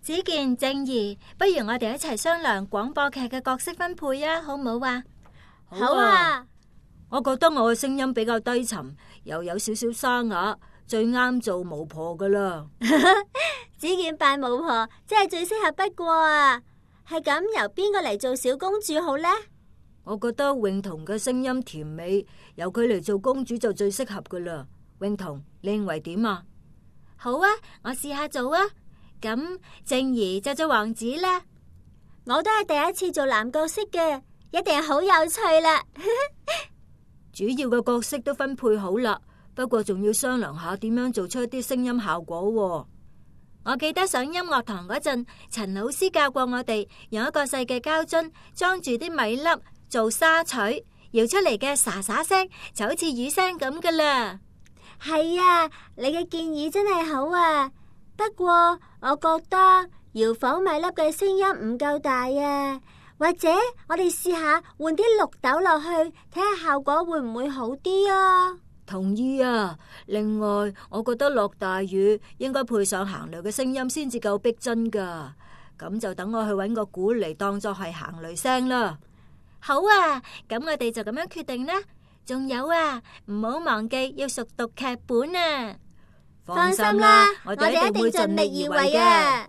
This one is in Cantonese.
子健、靜怡，不如我哋一齊商量廣播劇嘅角色分配啊，好唔好啊？好啊！我覺得我嘅聲音比較低沉，又有少少沙啞，最啱做巫婆噶啦。子健扮巫婆真係最適合不過啊！係咁，由邊個嚟做小公主好呢？我覺得詠彤嘅聲音甜美，由佢嚟做公主就最適合噶啦。詠彤，你認為點啊？好啊，我試下做啊。咁靜怡就做王子啦。我都係第一次做男角色嘅，一定係好有趣啦。主要嘅角色都分配好啦，不過仲要商量下點樣做出一啲聲音效果喎。我記得上音樂堂嗰陣，陳老師教過我哋用一個細嘅膠樽裝住啲米粒做沙錘，搖出嚟嘅沙沙聲就好似雨聲咁噶啦。係啊，你嘅建議真係好啊。不過我覺得搖晃米粒嘅聲音唔夠大啊，或者我哋試下換啲綠豆落去，睇下效果會唔會好啲啊？同意啊！另外，我覺得落大雨應該配上行雷嘅聲音先至夠逼真噶。咁就等我去搵個鼓嚟當作係行雷聲啦。好啊，咁我哋就咁樣決定啦。仲有啊，唔好忘記要熟讀劇本啊！放心啦，我哋一定盡力而為嘅。